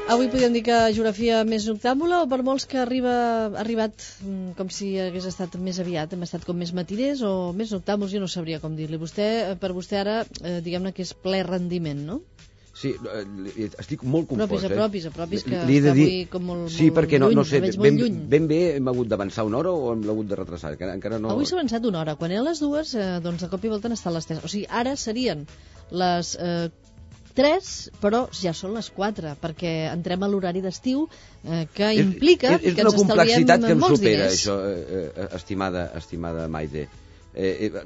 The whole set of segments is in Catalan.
Avui podríem dir que geografia més noctàmbula o per molts que ha arribat com si hagués estat més aviat, hem estat com més matiners o més noctàmbuls, jo no sabria com dir-li. Per vostè ara, diguem-ne que és ple rendiment, no? Sí, estic molt confós. Apropis, que està avui com molt lluny. Sí, perquè no sé, ben bé hem hagut d'avançar una hora o hem hagut de retrasar? Encara no... Avui s'ha avançat una hora. Quan eren les dues, doncs de cop i volta han estat les 3. O sigui, ara serien les 3, però ja són les 4, perquè entrem a l'horari d'estiu, que implica que ens estalviem molts diners. És una complexitat que em supera, això, estimada Maite.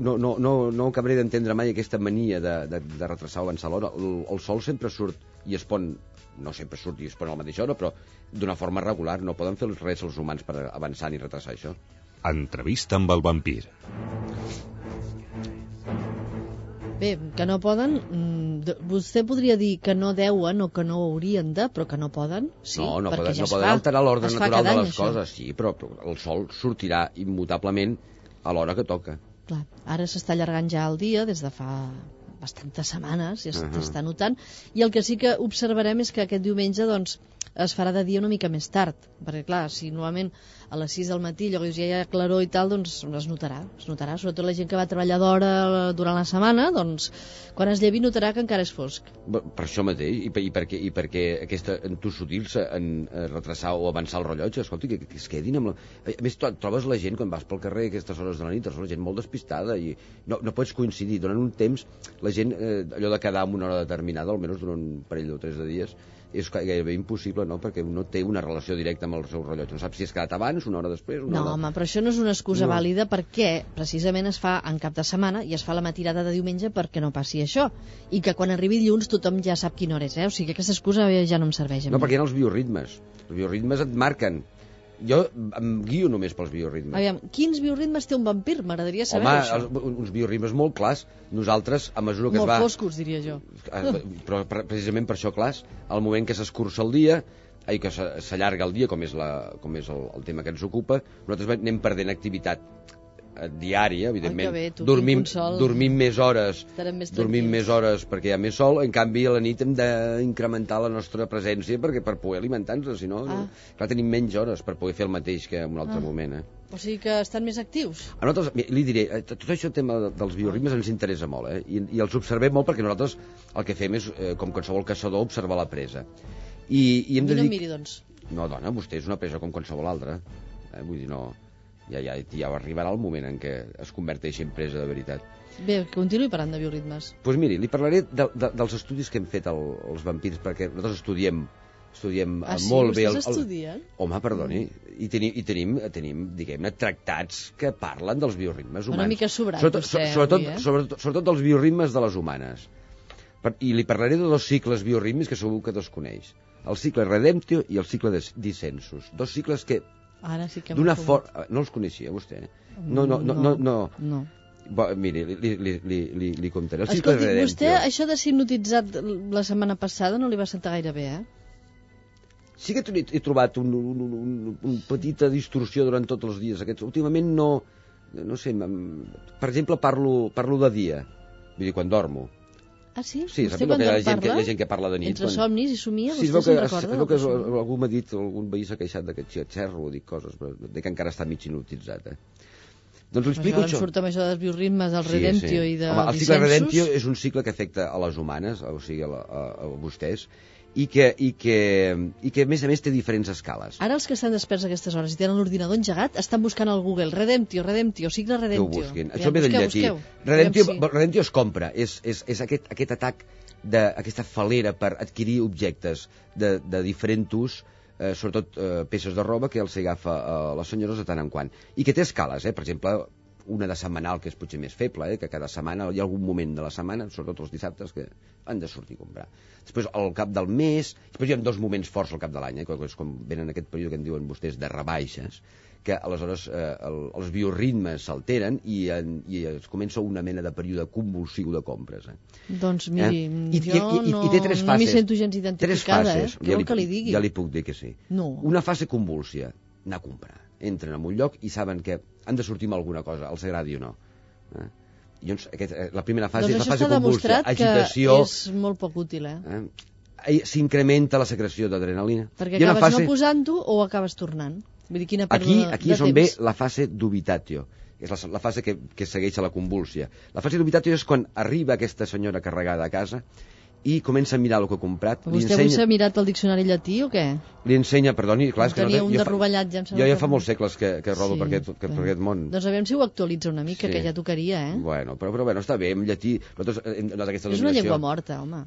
No acabaré d'entendre mai aquesta mania de retrasar o avançar l'hora. El sol sempre surt i es pon, no sempre surt i es pon a la mateixa hora, però d'una forma regular. No poden fer res els humans per avançar ni retrasar això. Entrevista amb el vampir. Bé, que no poden, vostè podria dir que no deuen o que no haurien de, però que no poden, sí, no perquè poden, poden alterar l'ordre natural de les coses, sí, però el sol sortirà immutablement a l'hora que toca. Clar, ara s'està allargant ja el dia des de fa bastantes setmanes, ja s'està notant, i el que sí que observarem és que aquest diumenge doncs, es farà de dia una mica més tard, perquè clar, si normalment a les 6 del matí ja hi ha claror i tal, doncs es notarà, sobretot la gent que va treballar d'hora durant la setmana, doncs quan es llevi notarà que encara és fosc. Per això mateix, i perquè aquesta entossudil-se en retrasar o avançar el rellotge, escolti, que es quedin amb la... A més, trobes la gent quan vas pel carrer a aquestes hores de la nit, la gent molt despistada i no pots coincidir, durant un temps la gent, allò de quedar en una hora determinada, almenys durant un parell o 3 de dies, és gairebé impossible, no? Perquè no té una relació directa amb el seu rellotge. No sap si has quedat abans, una hora després... No, home, però això no és una excusa vàlida perquè precisament es fa en cap de setmana i es fa la matinada de diumenge perquè no passi això. I que quan arribi dilluns tothom ja sap quina hora és, O sigui que aquesta excusa ja no em serveix a mi. No, perquè hi ha els bioritmes. Els bioritmes et marquen. Jo em guio només pels bioritmes. Aviam, quins bioritmes té un vampir? M'agradaria saber això. Home, uns bioritmes molt clars. Nosaltres, a mesura que molt foscos, diria jo. Però precisament per això clars, al moment que s'escurça el dia, que s'allarga el dia, com és el tema que ens ocupa, nosaltres anem perdent activitat diària, evidentment. Dormim més hores perquè hi ha més sol. En canvi, a la nit hem d'incrementar la nostra presència per poder alimentar-nos, si no, clar, tenim menys hores per poder fer el mateix que en un altre moment. O sigui que estan més actius. A nosaltres, li diré, tot això, el tema dels bioritmes ens interessa molt, i els observem molt perquè nosaltres el que fem és, com qualsevol caçador, observar la presa. I hem de dir... No miri, doncs. No, dona, vostè és una presa com qualsevol altra. Vull dir, no... Ja arribarà el moment en què es converteixi en presa de veritat. Bé, continuï parlant de bioritmes. Doncs miri, li parlaré dels estudis que hem fet els vampirs, perquè nosaltres estudiem molt bé... Vostès estudien? Home, perdoni, i tenim, diguem-ne, tractats que parlen dels bioritmes humans. Una mica sobrat, sobretot dels bioritmes de les humanes. I li parlaré de 2 cicles biorítmics que segur que desconeix. El cicle Redemptio i el cicle Descensus. 2 cicles que... Ara sí que no els coneixia, vostè? No. Miri, li contaré. Escolti, vostè, això de ser hipnotitzat la setmana passada no li va sentar gaire bé, Sí que he trobat una petita distorsió durant tots els dies aquests. Últimament no sé, per exemple, parlo de dia, vull dir, quan dormo. Ah, sí? Sí, sap que hi ha gent que parla de nit. Entre somnis i somia, sí, vostè se'n recorda? Sí, que algú m'ha dit, algun veí s'ha queixat d'aquest xerro, dic coses, però que encara està mig hipnotitzat, Doncs ho explico això. Em surt amb això dels bioritmes, del Redemptio i de el cicle Redemptio és un cicle que afecta a les humanes, o sigui, a vostès, i que a més té diferents escales. Ara els que estan desperts a aquestes hores i tenen l'ordinador engegat estan buscant al Google Redemptio, cicle Redemptio. Que ho busquin. Això ve del llatí. Redemptio es compra, és aquest atac, aquesta falera per adquirir objectes de diferent ús, sobretot peces de roba que els agafa a les senyores de tant en quant. I que té escales, per exemple, una de setmanal, que és potser més feble, que cada setmana hi ha algun moment de la setmana, sobretot els dissabtes, que han de sortir a comprar. Després, al cap del mes, després hi ha 2 moments forts al cap de l'any, que és com venen aquest període que en diuen vostès de rebaixes, que aleshores els bioritmes s'alteren i es comença una mena de període convulsiu de compres. Doncs miri, jo no m'hi sento gens identificada, què vol que li digui? Ja li puc dir que sí. Una fase convúlsia, anar a comprar. Entren en un lloc i saben que han de sortir amb alguna cosa, els agradi o no. Llavors, la primera fase és la fase convulsa, agitació... Doncs això està demostrat que és molt poc útil, s'incrementa la secreció d'adrenalina. Perquè acabes no posant-ho o acabes tornant? Vull dir, quina pèrdua de temps. Aquí és on ve la fase d'ubitatio, és la fase que segueix a la convúlsia. La fase d'ubitatio és quan arriba aquesta senyora carregada a casa i comença a mirar el que ha comprat. Vostè avui s'ha mirat el diccionari llatí o què? Li ensenya, perdoni, clar, és que tenia un de rovellat, ja em sembla. Jo ja fa molts segles que rodo per aquest món. Doncs aviam si ho actualitza una mica, que ja tocaria, eh? Bueno, però bueno, està bé, en llatí... És una llengua morta, home.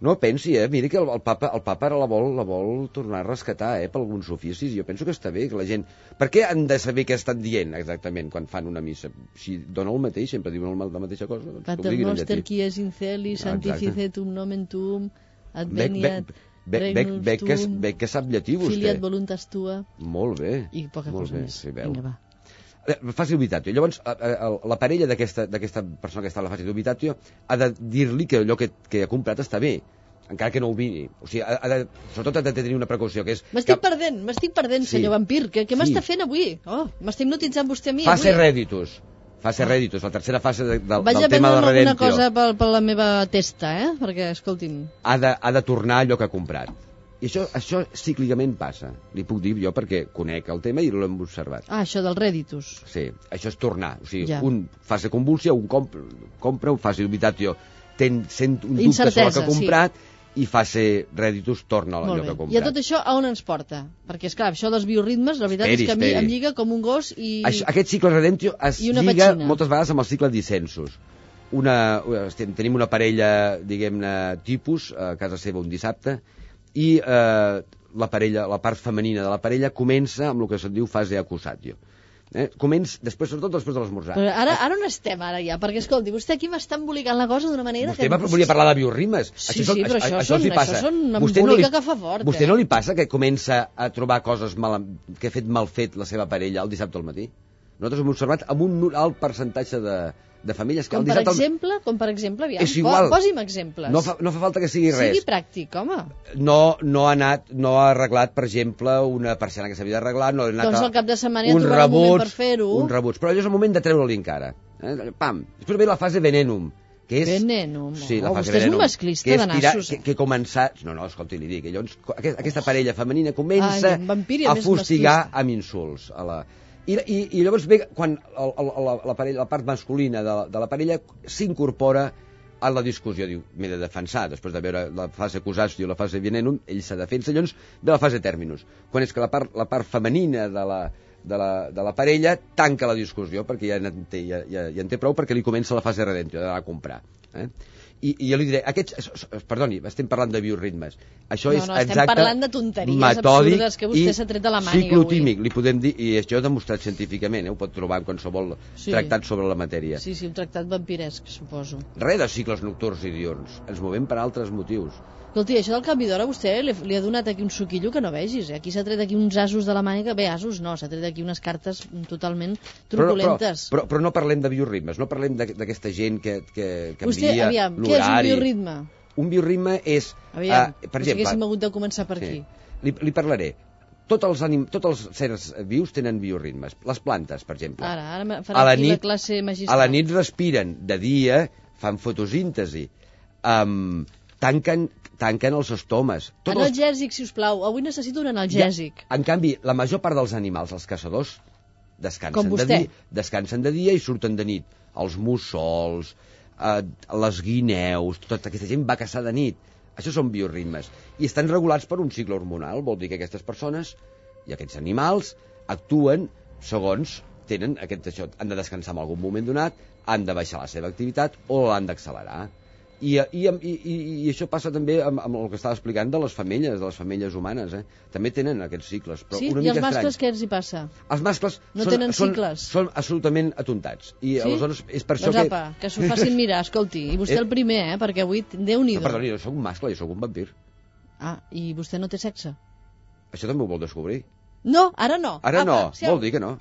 No pensi, miri que el papa ara la vol tornar a rescatar, per alguns oficis. Jo penso que està bé, que la gent... Per què han de saber què estan dient exactament quan fan una missa? Si dona el mateix, sempre diuen la mateixa cosa. Pater noster qui es in celis, sanctificetum nomen tuum, adveniat regnum tuum, que sap llatí, vostè. Filiat voluntas tua. Molt bé. I poca cosa més. Vinga, va. Fase d'ubitatio. Llavors, la parella d'aquesta persona que està a la fase d'ubitatio ha de dir-li que allò que ha comprat està bé, encara que no ho miri. O sigui, sobretot ha de tenir una precaució, que és... M'estic perdent, senyor vampir. Què m'està fent avui? M'estic hipnotitzant vostè a mi. Fase reditus, la tercera fase del tema de redemptio. Vaig a prendre alguna cosa per la meva testa, perquè, escolti'm... Ha de tornar allò que ha comprat. I això cíclicament passa. Li puc dir jo perquè conec el tema i l'hem observat. Això del reditus. Sí, això és tornar. O sigui, un fase convulsió, un compra, un fase d'ubitatio sent un dubte sobre el que ha comprat, i fase reditus torna a allò que ha comprat. I a tot això a on ens porta? Perquè, esclar, això dels bioritmes, la veritat és que a mi em lliga com un gos i... Aquest cicle redemptio es lliga moltes vegades amb el cicle dissensus. Tenim una parella, diguem-ne, tipus, a casa seva un dissabte, i la part femenina de la parella comença amb el que se'n diu fase accusatio. Sobretot després de l'esmorzar. Però ara on estem, ara ja? Perquè, escolti, vostè aquí m'està embolicant la cosa d'una manera... Vostè volia parlar de biorritmes. Sí, però això són una embolica que fa fort. Vostè no li passa que comença a trobar coses que ha fet mal fet la seva parella el dissabte al matí? Nosaltres hem observat amb un alt percentatge de famílies que com per exemple, aviam, posi'm exemples. No fa falta que sigui res. Sigui pràctic, home. No ha arreglat, per exemple, una persiana que s'havia d'arreglar, no ha anat doncs al cap de setmana ja trobarà un moment per fer-ho. Un rebuig, però allò és el moment de treure-li encara. Pam! Després ve la fase venenum, que és... Venenum? Sí, la fase vostè venenum, és un masclista de nassos. Que comença... No, escolti, li dic. Llavors, aquesta parella femenina comença a fustigar amb insults a la... I llavors ve quan la part masculina de la parella s'incorpora a la discussió. Diu, m'he de defensar, després de veure la fase accusatio i la fase venenum, ell se defensa, llavors ve la fase terminus, quan és que la part femenina de la parella tanca la discussió, perquè ja en té prou, perquè li comença la fase redemptio, d'anar a comprar. I jo li diré, perdoni, estem parlant de bioritmes. Això és exacte, estem parlant de tonteries absurdes que vostè s'ha tret de la màniga avui. Ciclotímic, li podem dir, i això ho demostrat científicament, ho pot trobar en qualsevol tractat sobre la matèria. Sí, un tractat vampiresc, suposo. Res de cicles nocturns i diurns, ens movem per altres motius. Escolti, això del canvi d'hora vostè li ha donat aquí un suquillo que no vegis. Aquí s'ha tret aquí uns asos de la màniga. Bé, asos no, s'ha tret aquí unes cartes totalment truculentes. Però no parlem de bioritmes, no parlem d'aquesta gent que envia l'horari. Vostè, aviam, què és un bioritme? Un bioritme és... Aviam, per exemple, haguéssim hagut de començar per aquí. Li parlaré. Tots els éssers vius tenen bioritmes. Les plantes, per exemple. Ara farà aquí la classe magistral. A la nit respiren, de dia fan fotosíntesi, tanquen els estomes. Analgèsic, si us plau. Avui necessito un analgèsic. En canvi, la major part dels animals, els caçadors, descansen de dia i surten de nit. Els mussols, les guineus, tota aquesta gent va caçar de nit. Això són bioritmes. I estan regulats per un cicle hormonal. Vol dir que aquestes persones i aquests animals actuen segons tenen això. Han de descansar en algun moment donat, han de baixar la seva activitat o l'han d'accelerar. I això passa també amb el que estava explicant de les femelles humanes. També tenen aquests cicles. Però sí, una i els mascles què els hi passa? Els mascles no tenen cicles. Són absolutament atontats. I aleshores és per això que s'ho facin mirar, escolti. I vostè el primer, perquè avui Déu-n'hi-do. No, perdoni, jo soc un mascle, jo soc un vampir. I vostè no té sexe? Això també ho vol descobrir? No, ara no. Ara no, vol dir que no.